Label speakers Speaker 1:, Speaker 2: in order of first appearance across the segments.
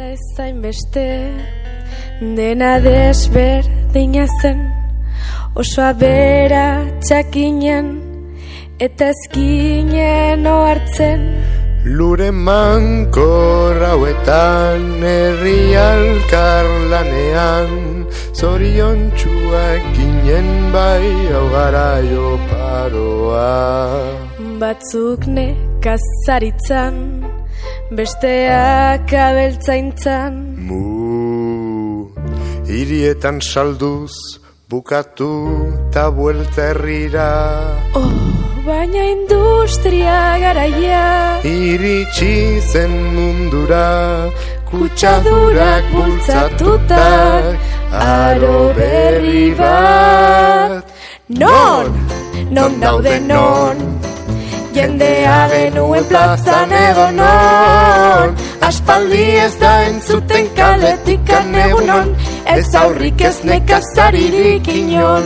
Speaker 1: Dela ezain beste, dena desberdina zen, oso abera txakinen, eta ezkinen ohartzen.
Speaker 2: Lure mankor hauetan, herri alkarlanean, zoriontsuak ginen bai hau garaio paroa.
Speaker 1: Batzuk nekazaritzan, besteak abeltzaintzan.
Speaker 2: Hirietan salduz, bukatu ta buelta herrira.
Speaker 1: Baina industria garaia
Speaker 2: iritsi zen mundura, kutsadurak bultzatutak, aro berri bat. Non daude non, jendea genuen plazan edo non, aspaldi ez da entzuten kaletikan egunon, ez aurrik ez nekazaririk inon.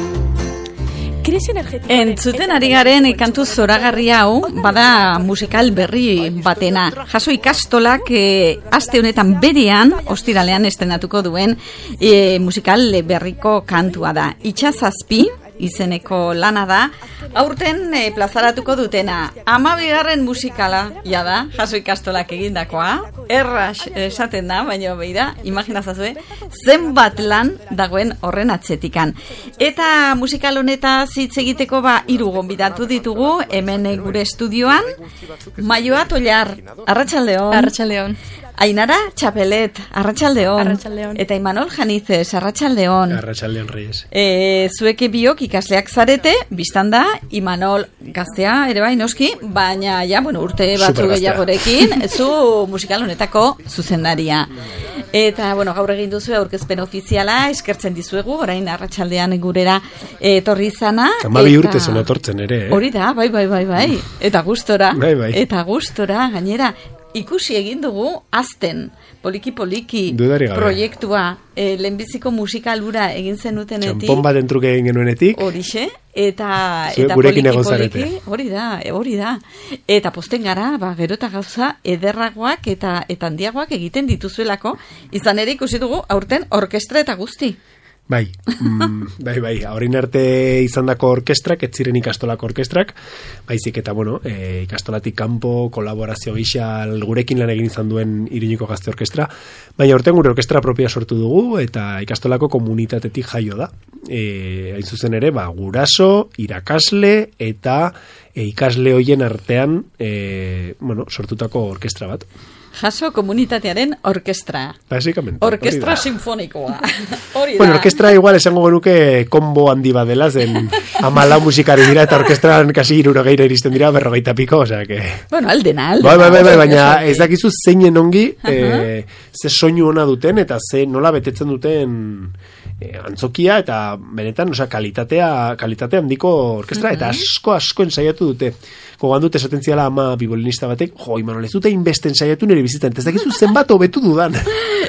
Speaker 3: Entzuten ari garen kantu zoragarri hau, bada musikal berri batena. Jaso ikastolak aste honetan berean, ostiralean estenatuko duen musikal berriko kantua da. Itxazazpi izeneko lana da, aurten plazaratuko dutena. 12. musikala, da, jaso ikastolak egindakoa. Erraz esaten da, baina beira, imaginazazue, zenbat lan dagoen horren atzetikan. Eta musikal honetaz hitz egiteko 3 gonbidatu ditugu, hemen gure estudioan. Maioa Tollar, arratsaldeon.
Speaker 4: Arratsaldeon.
Speaker 3: Ainara Txapelet, arratsaldeon.
Speaker 4: Arratsaldeon.
Speaker 3: Eta Imanol Janizez, arratsaldeon.
Speaker 5: Arratsaldeon, Reyes.
Speaker 3: Zuek biok ikasleak zarete, biztan da, Imanol gaztea ere bai noski, baina urte batzu gehiagorekin, zu musikal honetako zuzendaria. Eta, gaur egin duzu aurkezpen ofiziala, eskertzen dizuegu, orain arratsaldean gurera etorri izana.
Speaker 5: 12 urte zen etortzen ere,
Speaker 3: Hori da, bai. Eta gustora.
Speaker 5: Bai.
Speaker 3: Eta gustora, gainera, ikusi egin dugu azten, poliki proiektua, lehenbiziko musikalura egin zenutenetik.
Speaker 5: Txampon bat entruke egin genuenetik.
Speaker 3: Horixe, eta
Speaker 5: gurekin egon
Speaker 3: poliki,
Speaker 5: zarete.
Speaker 3: hori da. Eta posten gara, gero eta gauza ederragoak eta handiagoak egiten dituzuelako, izan ere ikusi dugu aurten orkestra eta guzti.
Speaker 5: Bai, horrein arte izandako orkestrak, ez ziren ikastolako orkestrak, baizik eta, ikastolatik kanpo, kolaborazio gisa gurekin lan egin izan duen Iriñuko Gazte Orkestra, baina orten gure orkestra propia sortu dugu, eta ikastolako komunitatetik jaio da. Hain zuzen ere, guraso, irakasle, eta ikasle hoien artean, sortutako orkestra bat.
Speaker 3: Jaso komunitatearen orkestra.
Speaker 5: Básicamente.
Speaker 3: Orkestra sinfonikoa. Hori da.
Speaker 5: Orkestra igual esango genuke kombo handi bat dela, zen 14 musikari dira, eta orkestran kasi 60 iristen dira, 40 piko, osea que...
Speaker 3: aldena.
Speaker 5: Bai, baina ez dakizu zeinen ongi, ze soinu ona duten, eta ze nola betetzen duten antzokia, eta benetan, kalitate handiko orkestra, eta asko ensaiatu dute. Gogan dut esaten ziala ama bibolinista batek, Imanol, ez dute inbeste ensaiatu nire bizitan, ez dakizu zenbat hobetu dudan.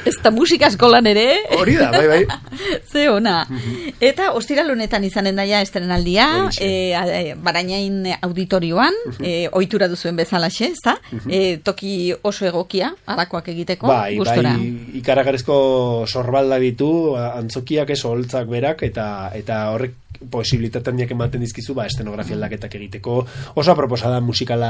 Speaker 3: Ez da musika eskolan ere.
Speaker 5: Hori da, bai.
Speaker 3: Ze ona. Eta ostiral honetan izanen daia estrenaldia, Barainain auditorioan, ohitura duzuen bezalaxe, ez da? Toki oso egokia, halakoak egiteko, gustora.
Speaker 5: Bai, ikaragarrizko sorbalda ditu, antzokiak holtzak berak, eta horrek posibilitate handiak ematen dizkizu estenografia aldaketak egiteko, oso aproposa da musikal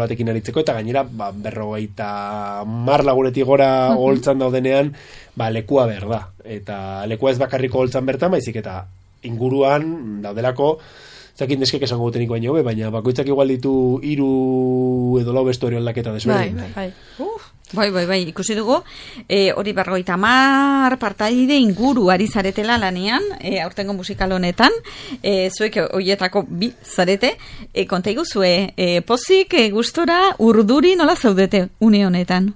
Speaker 5: batekin aritzeko, eta gainera 50 lagunetik gora holtzan daudenean lekua behar da, eta lekua ez bakarriko holtzan bertan, baizik eta inguruan daudelako zakin deskek esango gutenik baina bakoitzak igual ditu 3 edo 4 vestuario aldaketa desberdin.
Speaker 3: Bai, ikusi dugu, hori 50 partaide inguru ari zaretela lanean, aurtengo musikal honetan, zuek horietako 2 zarete, konta iguzue, pozik, gustora, urduri nola zaudete une honetan?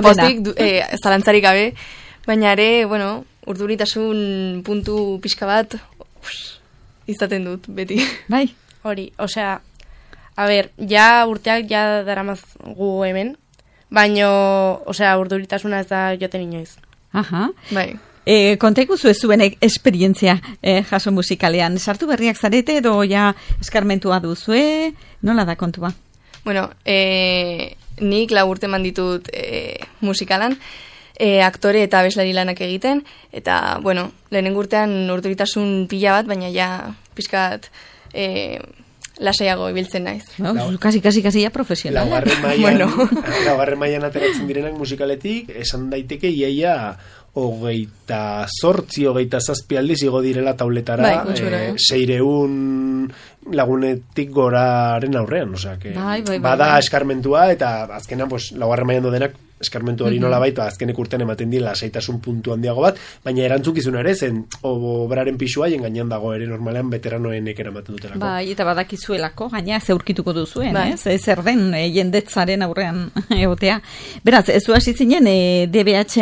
Speaker 4: Pozik, zalantzarik gabe, baina ere, urduritasun puntu pixka bat, izaten dut, beti.
Speaker 3: Bai.
Speaker 4: Hori, ja urteak ja daramaz gu hemen, baino, urduritasuna ez da joten inoiz.
Speaker 3: Aha.
Speaker 4: Bai.
Speaker 3: Konta ikuzu ez zuen esperientzia jaso musikalean. Sartu berriak zarete edo ja eskarmentua duzue? Nola da kontua?
Speaker 6: nik 4 urte eman ditut musikalan, aktore eta abeslari lanak egiten, eta, bueno, lehenengo urtean urduritasun pila bat, baina ja pizkat lasaiago ibiltzen naiz.
Speaker 3: Kasi ja profesional.
Speaker 5: Laugarren mailan ateratzen direnak musikaletik, esan daiteke iaia 28 aldiz igo direla tauletara, 600 lagunetik goraren aurrean, osea, que bada eskarmentua, eta azkenan, pues, laugarren mailan dodenak eskarmentu hori nola baita, azkenek urtean ematen dira lasaitasun puntu handiago bat, baina erantzukizuna ere, zen obraren pixua gainean dago ere normalean veteranoenek eramaten dutelako.
Speaker 3: Bai, eta badakizuelako, gaina zeurkituko duzuen, zer den jendetzaren aurrean egotea. Beraz, ez du hasi zinen DBH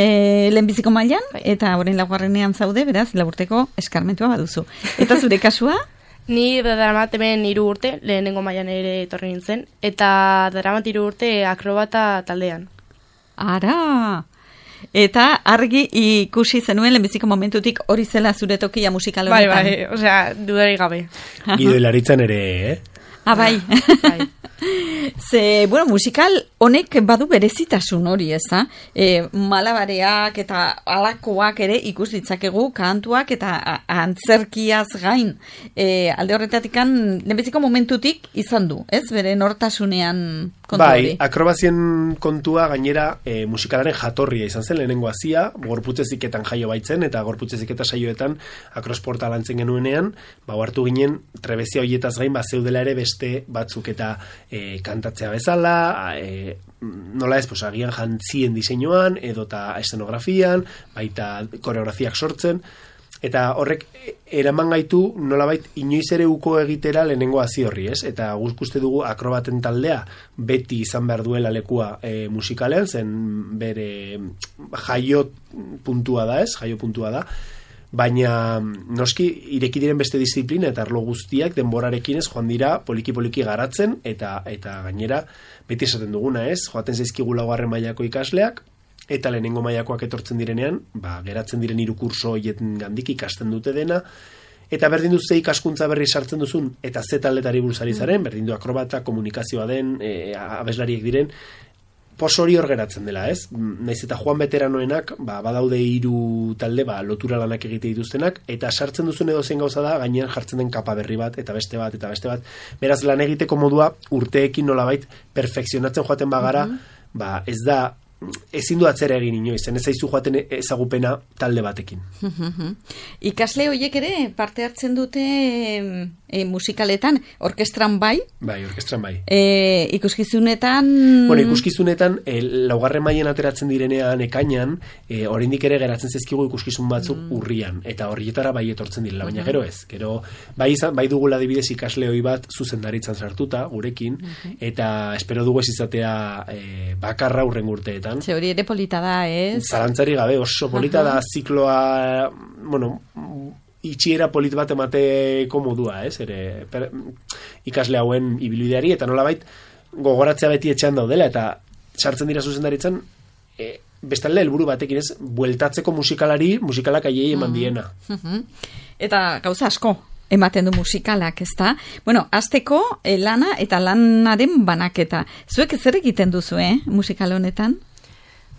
Speaker 3: lehenbiziko mailan, eta orain laugarrenean zaude, beraz, 4 urteko eskarmentua baduzu. Eta zure kasua?
Speaker 4: Ni daramat hemen 3 urte, lehenengo mailan ere etorri nintzen, eta daramat 3 urte akrobata taldean.
Speaker 3: Ara! Eta argi ikusi zenuen lehenbiziko momentutik hori zela zure tokia musikal honetan.
Speaker 4: Bai, osea, dudarik gabe.
Speaker 5: Gido hilaritzan ere,
Speaker 3: bai. Ze, bueno, musikal honek badu berezitasun hori, ez da? Malabareak eta alakoak ere ikus ditzakegu, kantuak eta antzerkiaz gain. Alde horretatikan, lehenbiziko momentutik izan du, ez? Bere nortasunean kontu hori.
Speaker 5: Bai, akrobazien kontua gainera musikalaren jatorria izan zen, lehenengo hazia, gorputzeziketan jaio baitzen, eta gorputzeziketa saioetan akrosporta lantzen genuenean, hartu ginen trebezia horietaz gain, zeudela ere beste batzuk eta kantatzea bezala, nola ez, agian jantzien diseinuan, edota eszenografian, baita koreografiak sortzen, eta horrek eraman gaitu nolabait inoiz ere uko egitera lehenengo hazi horri, ez? Eta uste dugu akrobaten taldea beti izan behar duela lekua musikalean, zen bere jaio puntua da, baina noski ireki diren beste disiplina eta arlo guztiak denborarekin ez joan dira poliki-poliki garatzen eta gainera beti esaten duguna, ez? Joaten zaizkigu 4. mailako ikasleak eta lehenengo mailakoak etortzen direnean, geratzen diren 3 kurso hoietan gandik ikasten dute dena, eta berdin du ze ikaskuntza berri sartzen duzun eta ze taldetari buruz ari zaren, berdin du akrobata, komunikazioa den, abeslariek diren, pos hori hor geratzen dela, ez? Naiz eta joan veteranoenak, badaude 3 talde, lotura lanak egite dituztenak, eta sartzen duzun edo zen gauza da, gainean jartzen den kapa berri bat, eta beste bat. Beraz, lan egiteko modua urteekin nolabait perfekzionatzen joaten bagara, ez da, ezin du atzera egin inoiz, ez zaizu joaten ezagupena talde batekin.
Speaker 3: Ikasle horiek ere parte hartzen dute musikaletan, orkestran bai?
Speaker 5: Bai, orkestran bai.
Speaker 3: Ikuskizunetan...
Speaker 5: Bueno, ikuskizunetan, 4. mailan ateratzen direnean ekainan, oraindik ere geratzen zezkigu ikuskizun batzuk urrian, eta horrietara bai etortzen direla, baina gero ez. Gero, bai dugula adibidez ikasle hoi bat zuzendaritzan sartuta, gurekin, eta espero dugu ez izatea bakarra hurrengo urteetan.
Speaker 3: Ze hori ere polita da, ez?
Speaker 5: Zalantzari gabe, oso polita da zikloa, itxiera polit bat emateko modua, ez? Ikasle hauen ibilbideari, eta nolabait gogoratzea beti etxean daudela, eta sartzen dira zuzendaritzan, bestalde helburu batekin, ez? Bueltatzeko musikalak aiei eman diena.
Speaker 3: Eta gauza asko ematen du musikalak, ez da? Bueno, azteko lana eta lanaren banaketa. Zuek zer egiten duzu, musikal honetan?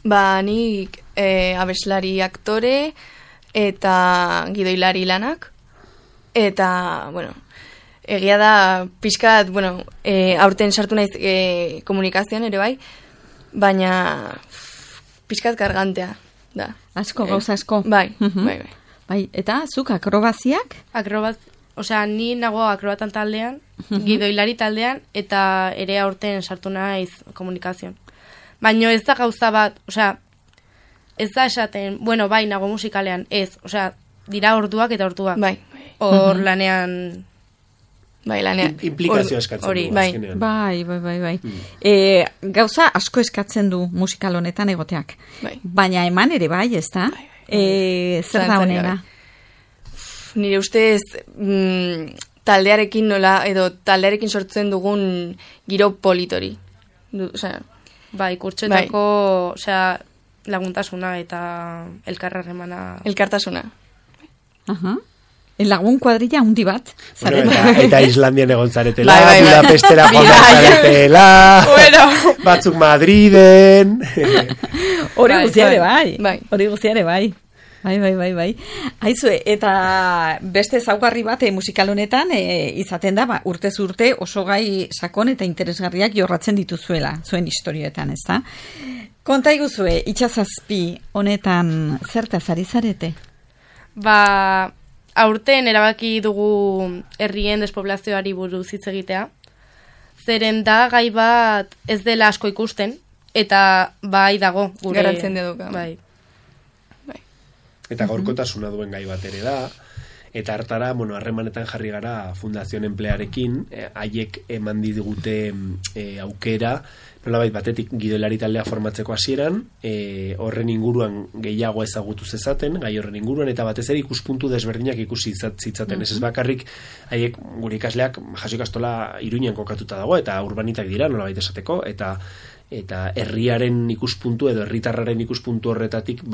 Speaker 6: Nik abeslari aktore eta gidoilari lanak, eta, egia da pixkat, aurten sartu naiz komunikazioan ere bai, baina pixkat kargantea da.
Speaker 3: Asko, gauza asko.
Speaker 6: Bai.
Speaker 3: Eta zuk akrobaziak?
Speaker 4: Osea, ni nago akrobatan taldean, gidoilari taldean, eta ere aurten sartu naiz komunikazioan. Baina ez da gauza bat, osea, ez da esaten, bai, nago musikalean, ez, osea, dira orduak eta orduak.
Speaker 6: Bai.
Speaker 4: Hor lanean...
Speaker 6: Bai, lanean.
Speaker 5: Implikazio eskatzen du, azkenean.
Speaker 3: Bai. Gauza asko eskatzen du musikal honetan egoteak.
Speaker 6: Bai.
Speaker 3: Baina eman ere bai, ez da? Zer da honena?
Speaker 6: Nire ustez, taldearekin nola, edo taldearekin sortzen dugun giro politori. Osea...
Speaker 4: Bai, kurtsetako, osea, laguntasuna eta elkarrarremana.
Speaker 6: Elkartasuna.
Speaker 3: lagun kuadrilla handi bat.
Speaker 5: Bueno, eta Islandian egon zaretela,
Speaker 6: Bai.
Speaker 5: Budapestera joan zaretela, batzuk Madriden.
Speaker 3: Hori guztiare bai.
Speaker 6: Bai.
Speaker 3: Hori guztiare bai. Bai. Aizue, eta beste ezaugarri bat musikal honetan izaten da, urtez urte oso gai sakon eta interesgarriak jorratzen dituzuela, zuen historioetan, ezta? Konta iguzue, Itsasazpi honetan zertaz ari zarete?
Speaker 4: Aurten erabaki dugu herrien despoblazioari buruz hitz egitea. Zeren da gai bat ez dela asko ikusten, eta bai dago gure...
Speaker 6: Garrantzien duka.
Speaker 4: Bai.
Speaker 5: Eta gaurkotasuna duen gai bat ere da, eta hartara, harremanetan jarri gara Fundazioen Emplearekin, haiek eman digute aukera, nolabait batetik gidoilari taldea formatzeko hasieran, horren inguruan gehiago ezagutu zezaten, gai horren inguruan, eta batez ere ikuspuntu desberdinak ikusi zitzaten. Ez bakarrik, haiek gure ikasleak jaso ikastola Iruñan kokatuta dago, eta urbanitak dira, nolabait esateko, eta herriaren ikuspuntu edo herritarraren ikuspuntu horretatik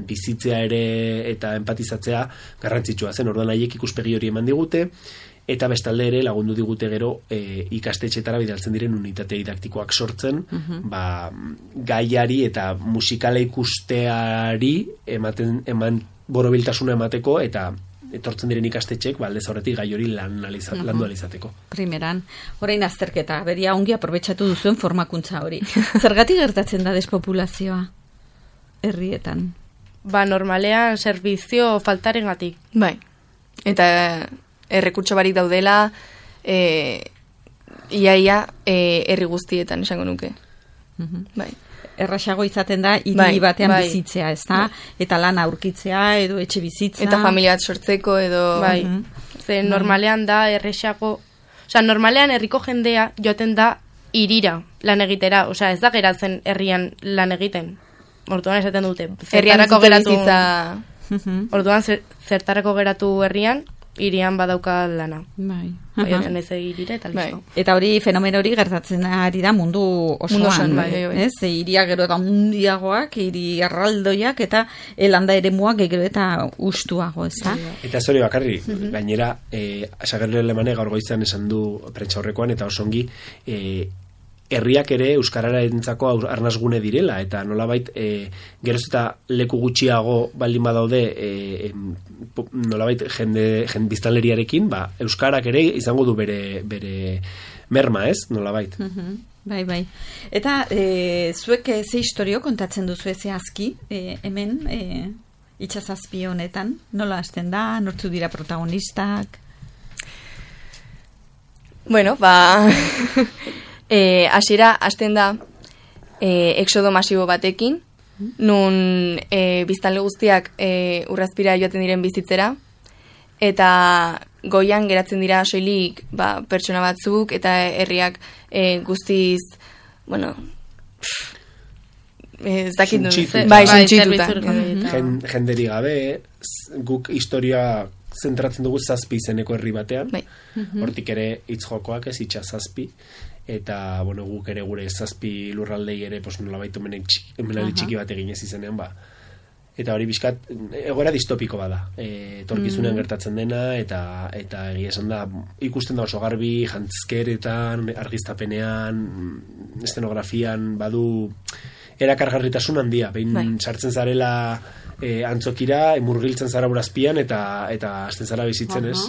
Speaker 5: bizitzea ere eta empatizatzea garrantzitsua zen. Orduan haiek ikuspegi hori eman digute, eta bestalde ere lagundu digute gero ikastetxetara bidaltzen diren unitate didaktikoak sortzen, gaiari eta musikala ikusteari eman borobiltasuna emateko, eta etortzen diren ikastetxek, aldez horretik gai hori landu alizateko.
Speaker 3: Primeran, orain azterketa, beria ongi aprobetxatu duzuen formakuntza hori. Zergatik gertatzen da despopulazioa herrietan?
Speaker 4: Normalean servizio faltarengatik.
Speaker 6: Bai. Eta errekurtso barik daudela iaia herri guztietan esango nuke. Bai.
Speaker 3: Erraxago izaten da hiri batean bizitzea, ezta? Eta lan aurkitzea edo etxe bizitza.
Speaker 6: Eta familia bat sortzeko edo...
Speaker 4: Bai. Zer normalean da erraxago... normalean herriko jendea joaten da hirira lan egitera. Ez da geratzen herrian lan egiten. Orduan esaten dute. Zertarako geratu... Orduan zertarako geratu herrian, hirian badauka lana.
Speaker 3: Bai.
Speaker 4: Baioten ez hirira eta listo.
Speaker 3: Eta hori fenomeno hori gertatzen ari da mundu osoan, ez? Hiria gero eta mundiagoak, hiri erraldoiak eta landa eremuak gero eta ustuago, ezta?
Speaker 5: Eta ez hori bakarri, gainera Sagerle Alemane gaur goizean esan du prentsaurrekoan eta osongi herriak ere euskarararentzako arnasgune direla, eta nolabait geroz eta leku gutxiago baldin badaude nolabait biztanleriarekin, euskarak ere izango du bere merma, ez? Nolabait.
Speaker 3: Bai. Eta zuek ze historio kontatzen duzu zehazki hemen Itsasazpi honetan, nola hasten da, nortzu dira protagonistak?
Speaker 6: Bueno, hasiera hasten da exodo masibo batekin, nun biztanle guztiak urrazpira joaten diren bizitzera, eta goian geratzen dira soilik pertsona batzuk, eta herriak guztiz, ez dakit suntxituta.
Speaker 5: Jenderi gabe, guk historia zentratzen dugu Zazpi izeneko herri batean, hortik ere hitz jokoak ez Itsasazpi, eta guk ere gure Zazpi lurraldei ere nolabait omenaldi txiki bat eginez izenean, eta hori bizkat egoera distopiko bada, etorkizunean gertatzen dena, eta egia esan da ikusten da oso garbi jantzkeretan, argiztapenean, eszenografian badu erakargarritasun handia, behin sartzen zarela antzokira, murgiltzen zara urazpian, eta hasten zara bizitzen, ez?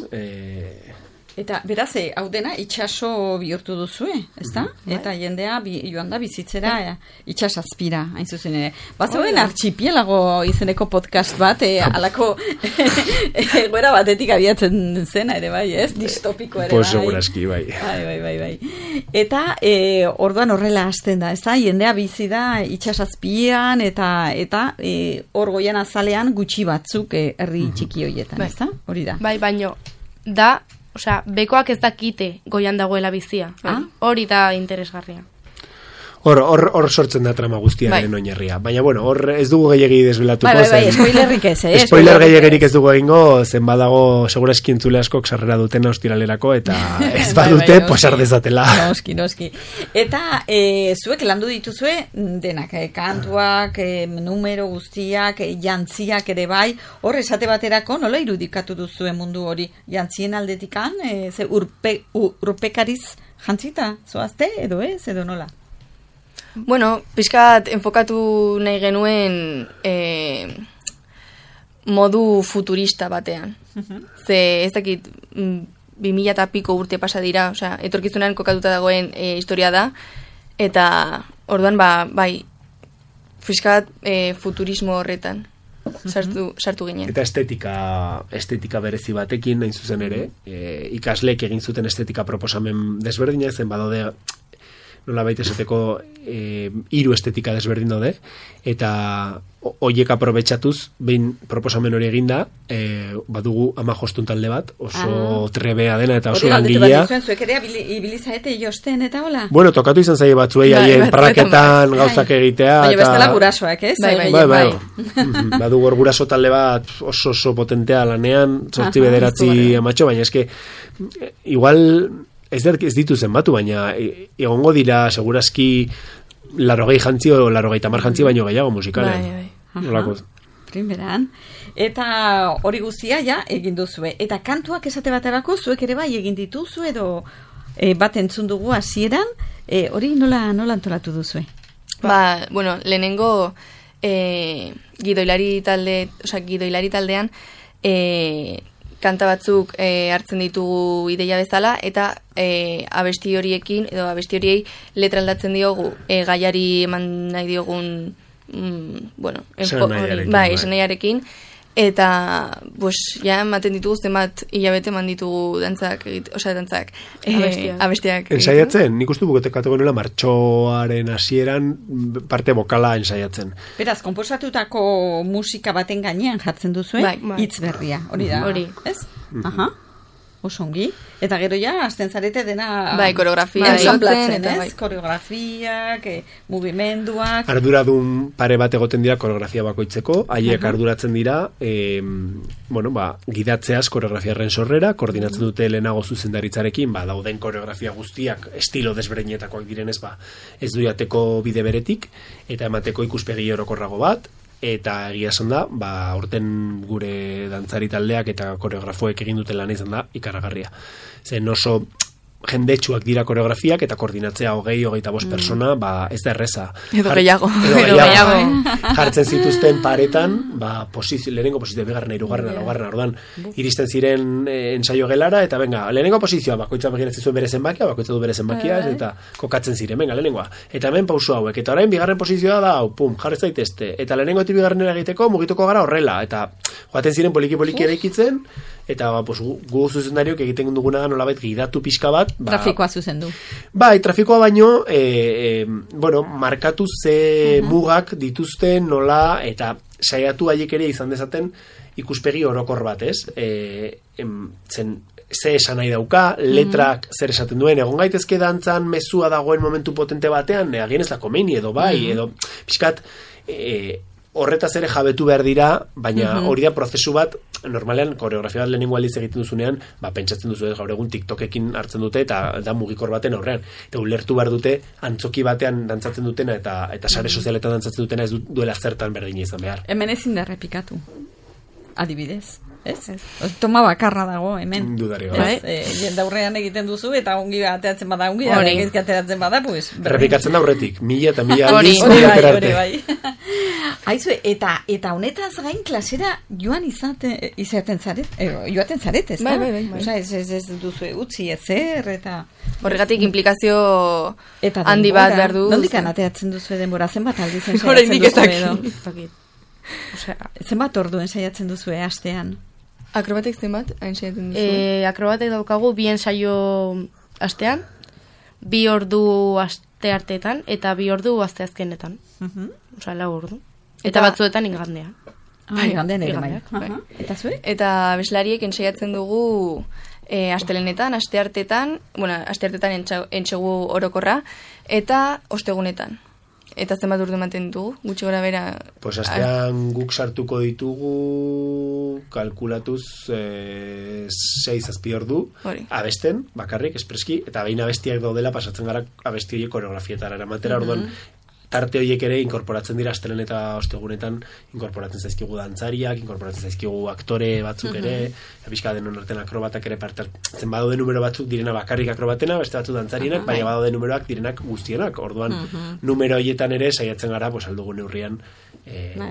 Speaker 3: Eta beraz, hau dena itxaso bihurtu duzue, ezta? Eta jendea joan da bizitzera Itsasazpira, hain zuzen ere. Bazegoen artxipielago izeneko podcast bat, alako egoera batetik abiatzen zena ere bai, ez? Distopiko ere bai.
Speaker 5: Pues seguraski, bai.
Speaker 3: Bai. Eta orduan horrela hasten da, ezta? Jendea bizi da Itsasazpian, eta hor goian azalean gutxi batzuk herri txiki horietan, ezta? Hori da.
Speaker 4: Bai, baino, bekoak ez dakite goian dagoela bizia. Hori da interesgarria.
Speaker 5: Hor sortzen da trama guztiaren oinarria. Baina, bueno, hor ez dugu gehiagi desbelatuko.
Speaker 3: Bai, spoilerrik ez,
Speaker 5: Spoiler gehiagirik ez dugu egingo, zen badago, segura eskintzule askok sarrera duten ostiralerako, eta ez badute posar dezatela.
Speaker 3: Noski. Eta zuek landu dituzue denak, kantuak, numero guztiak, jantziak ere bai, hor esate baterako nola irudikatu duzue mundu hori? Jantzien aldetikan, ze urpekariz jantzita, zoazte, edo ez, edo nola?
Speaker 6: Bueno, pixkat enfokatu nahi genuen modu futurista batean. Ze ez dakit 2000 eta piko urte pasa dira, osea, etorkizunan kokatuta dagoen historia da, eta orduan bai, pixkat futurismo horretan sartu ginen.
Speaker 5: Eta estetika berezi batekin, nahin zuzen ere, ikasleek egin zuten estetika proposamen desberdina, zen badaude nola baita esateko 3 estetika desberdin daude, eta hoiek aprobetxatuz, behin proposamen hori eginda, badugu 15 talde bat, oso trebea dena eta oso langilea.
Speaker 3: Zuek ere ibilizaete josten eta hola?
Speaker 5: Bueno, tokatu izan zaie batzuei haien praketan gauzak egitea.
Speaker 3: Baina bestela gurasoak, ez?
Speaker 5: Bai. Badugu hor guraso talde bat oso potentea lanean, 8-9 amatxo, baina eske igual ez ditu zenbatu, baina egongo dira segurazki 80 jantzi o 80 jantzi baino gehiago musikalen.
Speaker 3: Bai. Primeran. Eta hori guztia ja egin duzue. Eta kantuak esate baterako zuek ere bai egin dituzu edo bat entzun dugu hasieran, hori nola antolatu duzue?
Speaker 6: Bueno, lehenengo gidoilari taldean kanta batzuk hartzen ditugu ideia bezala, eta abesti horiekin, edo abesti horiei letra aldatzen diogu gaiari eman nahi diogun esanaiarekin, eta ja ematen ditugu zenbat hilabete eman ditugu dantzak abestiak.
Speaker 5: Ensaiatzen, nik uste buketeko nuela martxoaren hasieran parte bokala ensaiatzen.
Speaker 3: Beraz, konposatutako musika baten gainean jartzen duzue, hitz berria, hori da.
Speaker 4: Hori.
Speaker 3: Ez? Osongi. Eta gero ja, azten zarete dena...
Speaker 6: koreografia
Speaker 3: ensamplatzen, ez? Koreografiak, mugimenduak...
Speaker 5: Arduradun pare bat egoten dira koreografia bakoitzeko, haiek arduratzen dira, gidatzeaz koreografiaren sorrera, koordinatzen dute lehenago zuzendaritzarekin, dauden koreografia guztiak estilo desberdinetakoak direnez, ez du jateko bide beretik, eta emateko ikuspegi orokorrago bat, eta egia esan da, aurten gure dantzari taldeak eta koreografoek egin duten lan izan da ikaragarria. Zen oso jendetsuak dira koreografiak eta koordinatzea 20-25 persona, ez da erreza.
Speaker 6: Edo gehiago.
Speaker 5: Jartzen zituzten paretan, lehenengo posizioa, bigarren, hirugarren, laugarren, orduan, iristen ziren ensaio gelara, eta venga, lehenengo posizioa, bakoitza begiratzen zuen bere zenbakia, bakoitza du bere zenbakia, eta kokatzen ziren, venga, lehenengoa. Eta hemen pausu hauek, eta orain bigarren posizioa da, jarri zaitezte, eta lehenengo eta bigarrenera egiteko mugituko gara horrela, eta joaten ziren poliki eraikitzen, eta gu zuzendariok egiten duguna da nolabait gidatu pixka bat.
Speaker 3: Trafikoa zuzendu.
Speaker 5: Trafikoa baino, markatu ze mugak dituzten nola, eta saiatu haiek ere izan dezaten ikuspegi orokor bat, ez? Ze esan nahi dauka, letrak zer esaten duen, egon gaitezke dantzan mezua dagoen momentu potente batean, agien ez da komeni edo edo pixkat... horretaz ere jabetu behar dira, baina hori da prozesu bat, normalean koreografia bat lehenengo aldiz egiten duzunean, pentsatzen duzu gaur egun TikTokekin hartzen dute eta da mugikor baten aurrean. Eta ulertu behar dute antzoki batean dantzatzen dutena eta sare sozialetan dantzatzen dutena ez duela zertan berdina izan behar.
Speaker 3: Hemen ezin da errepikatu. Adibidez. Ez? Toma bakarra dago, hemen.
Speaker 5: Dudari gabe.
Speaker 3: Jendaurrean egiten duzu, eta ongi ateratzen bada, egizki ateratzen bada, pues...
Speaker 5: Repikatzen da horretik, 1000 eta 1000 aldiz aterarte.
Speaker 3: Aizu, eta honetaz gain klasera joan joaten zaret, ez da?
Speaker 6: Bai.
Speaker 3: Osa, ez duzu utzi ezer, eta...
Speaker 6: Horregatik implikazio handi bat behar du.
Speaker 3: Nondikan ateratzen duzu denbora, zenbat aldiz
Speaker 6: ensaiatzen duzu edo?
Speaker 3: Zenbat ordu ensaiatzen duzu astean?
Speaker 6: Akrobatek zenbat ensaiatzen duzu?
Speaker 4: Akrobatek daukagu 2 ensaio astean, 2 ordu aste arteetan, eta 2 ordu aste azkenetan. Osa, 4 ordu. Eta batzuetan igandean.
Speaker 3: Igandean ere bai. Eta zuek?
Speaker 6: Eta abeslariek ensaiatzen dugu astelenetan, asteartetan entsegu orokorra, eta ostegunetan. Eta zenbat urdu ematen ditugu, gutxi gora bera...
Speaker 5: Pues astean guk sartuko ditugu, kalkulatuz 6-7 ordu, abesten, bakarrik, espreski, eta behin abestiak daudela pasatzen gara abesti horiek koreografietara eramatera, orduan tarte horiek ere inkorporatzen dira astelen eta ostegunetan, inkorporatzen zaizkigu dantzariak, inkorporatzen zaizkigu aktore batzuk ere, pixka denon artean akrobatak ere partartzen badaude numero batzuk direna bakarrik akrobatena, beste batzuk dantzarienak, baina badaude numeroak direnak guztienak, orduan numero horietan ere saiatzen gara, pues aldugu neurrian,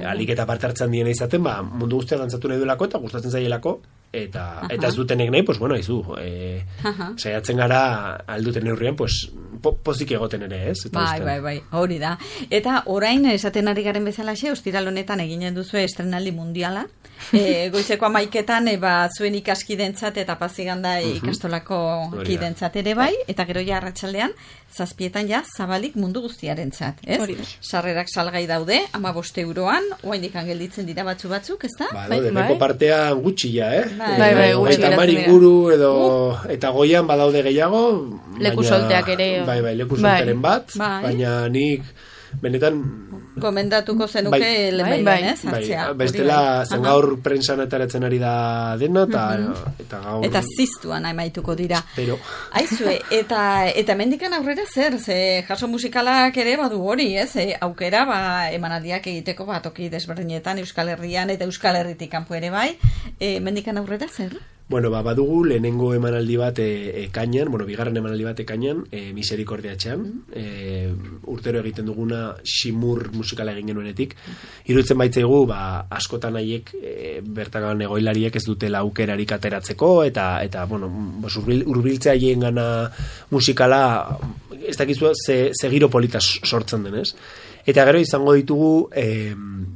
Speaker 5: alik eta partartzen diena izaten, mundu guztia dantzatu nahi duelako eta gustatzen zaielako, eta ez dutenek nahi, pues bueno, saiatzen gara alduten neurrian, pues pozik egoten ere, ez?
Speaker 3: Bai, hori da. Eta orain, esaten ari garen bezalaxe, ostiral honetan eginen duzu estrenaldi mundiala. Goizeko 11etan zuen ikaskidentzat eta Paziganda ikastolako kidentzat ere bai, eta gero ja arratsaldean 7etan ja zabalik mundu guztiarentzat, ez? Sarrerak salgai daude, 15 euroan, oraindik gelditzen dira batzuk, ezta?
Speaker 5: Deneko partea gutxi ja,
Speaker 6: Bai,
Speaker 5: gutxi inguru edo eta goian badaude gehiago,
Speaker 4: leku solteak ere.
Speaker 5: Bai, leku solteren bat, baina nik benetan
Speaker 3: gomendatuko zenuke lehenbailehen, ez?
Speaker 5: Bestela, zen gaur prensan ataratzen ari da dena, eta gaur...
Speaker 3: Eta ziztuan amaituko dira.
Speaker 5: Pero...
Speaker 3: Aizue, eta mendikan aurrera zer, jaso musikalak ere badu hori, ez? Aukera, emanaldiak egiteko toki desberdinetan, Euskal Herrian eta Euskal Herritik kanpo ere bai, mendikan aurrera zer?
Speaker 5: Bueno, badugu lehenengo emanaldi bat ekainan, bigarren emanaldi bat ekainan, Miserikordiatxean, urtero egiten duguna Ximur musikala egin genuenetik. Iruditzen baitzaigu, askotan haiek bertakan egoilariek ez dutela aukerarik ateratzeko, eta hurbiltzea haien gana musikala, ez dakizu ze giro polita sortzen denez. Eta gero izango ditugu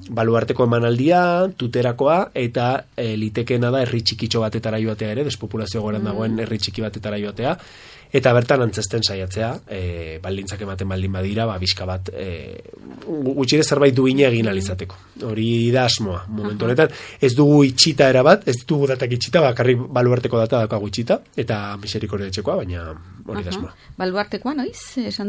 Speaker 5: baluarteko emanaldia, tuterakoa, eta litekeena da herri txikitxo batetara joatea ere, despopulazio goran dagoen herri txiki batetara joatea, eta bertan antzesten saiatzea, baldintzak ematen baldin badira, bizka bat, gutxire zerbait duine egin alizateko. Hori da asmoa, momentu honetan. Ez dugu itxita erabat, ez ditugu datak itxita, bakarri baluarteko data daukagu itxita, eta Miserikordiatxekoa, baina hori da asmoa.
Speaker 3: Baluartekoa, noiz?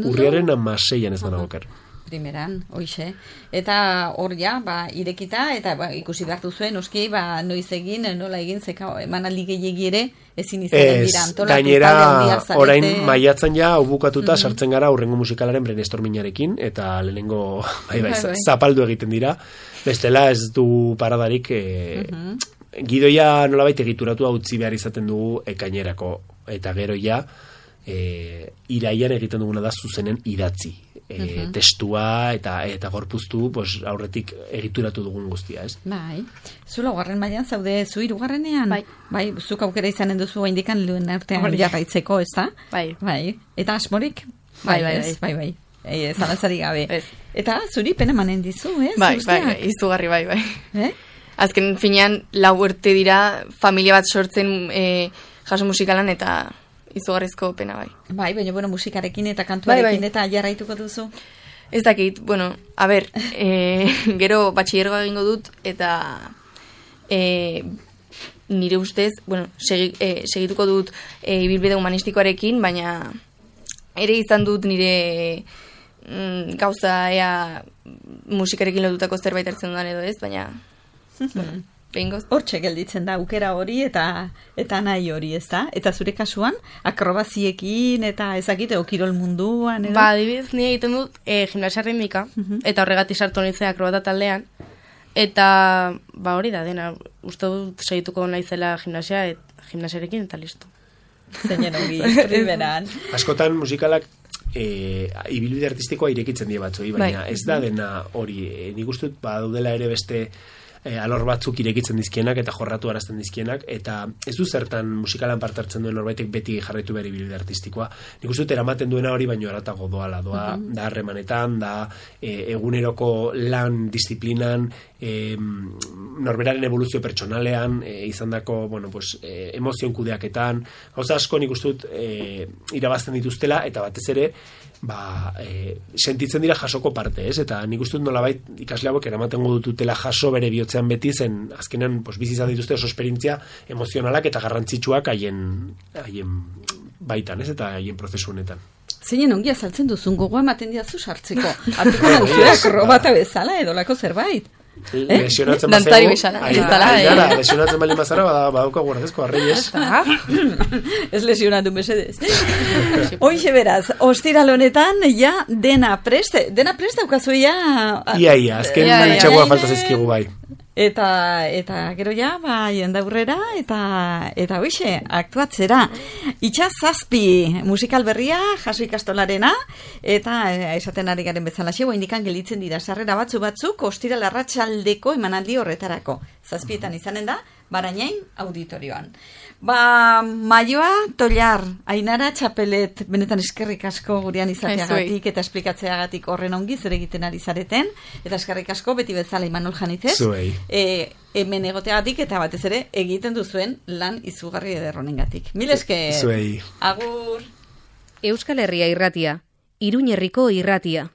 Speaker 5: Urriaren 16an ez da nagoker.
Speaker 3: Primeran, hoixe. Eta hor ja, irekita, eta ikusi behartu zuen, oski, noiz egin, nola egin, zeka emanaldi gehiegi ere, ezin izaten dira antolatu.
Speaker 5: Gainera, orain maiatzen ja, bukatuta sartzen gara urrengo musikalaren brainstormingarekin, eta lehenengo, zapaldu egiten dira. Bestela ez du paradarik, gidoia nolabait egituratu utzi behar izaten dugu ekainerako, eta gero ja, iraian egiten duguna da zuzenen idatzi. Testua eta gorpuztu aurretik egituratu dugun guztia, ez?
Speaker 3: Bai. Zu laugarren mailan zaude, zu hirugarrenean? Bai, zuk aukera izanen duzu indikan lehen artean jarraitzeko, ez da? Bai. Eta asmorik? Bai. Zalantzari gabe. Eta zuri pena manen dizu, ez?
Speaker 6: Bai, izugarri, bai. Azken finean, 4 urte dira, familia bat sortzen jaso musikalan eta... izugarrizko pena bai.
Speaker 3: Bai, baina musikarekin eta kantuarekin eta jarraituko duzu?
Speaker 6: Ez dakit, a ber, gero batxillergoa egingo dut eta nire ustez, segituko dut ibilbide humanistikoarekin, baina ere izan dut nire gauza musikarekin lotutako zerbait hartzen dudan edo ez, baina
Speaker 3: hortxe gelditzen da aukera hori eta nahi hori, ez da? Eta zure kasuan, akrobaziekin eta ezakite kirol munduan, edo?
Speaker 4: Adibidez, ni egiten dut gimnasia ritmika, eta horregatik sartu nintzen akrobata taldean, eta hori da dena, uste dut segituko naizela gimnasiarekin eta listo.
Speaker 3: Zeinen ongi, primeran.
Speaker 5: Askotan musikalak ibilbide artistikoa irekitzen die batzoi, baina ez da dena hori, nik uste dut daudela ere beste alor batzuk irekitzen dizkienak eta jorratu arazten dizkienak, eta ez du zertan musikalan parte hartzen duen norbaitek beti jarraitu behar ibilbide artistikoa. Nik uste dut eramaten duena hori baino haratago doa da harremanetan, da eguneroko lan disiplinan, norberaren evoluzio pertsonalean, izandako, emozioen kudeaketan, gauza asko nik uste dut irabazten dituztela, eta batez ere sentitzen dira jasoko parte, ez? Eta nik uste dut nolabait ikasle hauek eramaten dutela jaso bere bihotzean beti, zen azkenan bizi izan dituzte oso esperientzia emozionalak eta garrantzitsuak haien baitan, ez? Eta haien prozesu honetan.
Speaker 3: Zeinen ongi azaltzen duzun, gogoa ematen diazu sartzeko. Artuko nauzuak robata bezala edo lako zerbait.
Speaker 5: Lesionatzen
Speaker 6: Dantzari bezala.
Speaker 5: Lesionatzen bali mazara, badauka guardezko arrei, ez?
Speaker 3: Ez lesionatu mesedez. Hoxe beraz, ostiral honetan, ja, dena prest daukazu ja...
Speaker 5: Ia, azken txegoa falta zizkigu bai.
Speaker 3: Eta gero ja, jendaurrera, eta hoxe, aktuatzera. Itxaz 7 musikal berria, jaso ikastolarena, eta esaten ari garen bezala xegoa indikan gelitzen dira sarrera batzuk, ostiral arratsaldeko emanaldi horretarako. 7etan izanen da, Barainain auditorioan. Maioa Tollar, Ainara Txapelet, benetan eskerrik asko gurean izateagatik eta esplikatzeagatik horren ongi zer egiten ari zareten, eta eskerrik asko beti bezala Imanol Janitez.
Speaker 5: Zuei.
Speaker 3: Hemen egoteagatik eta batez ere egiten duzuen lan izugarri ederronengatik. Mil esker.
Speaker 5: Zuei.
Speaker 3: Agur.
Speaker 7: Euskal Herria irratia, Iruñerriko irratia.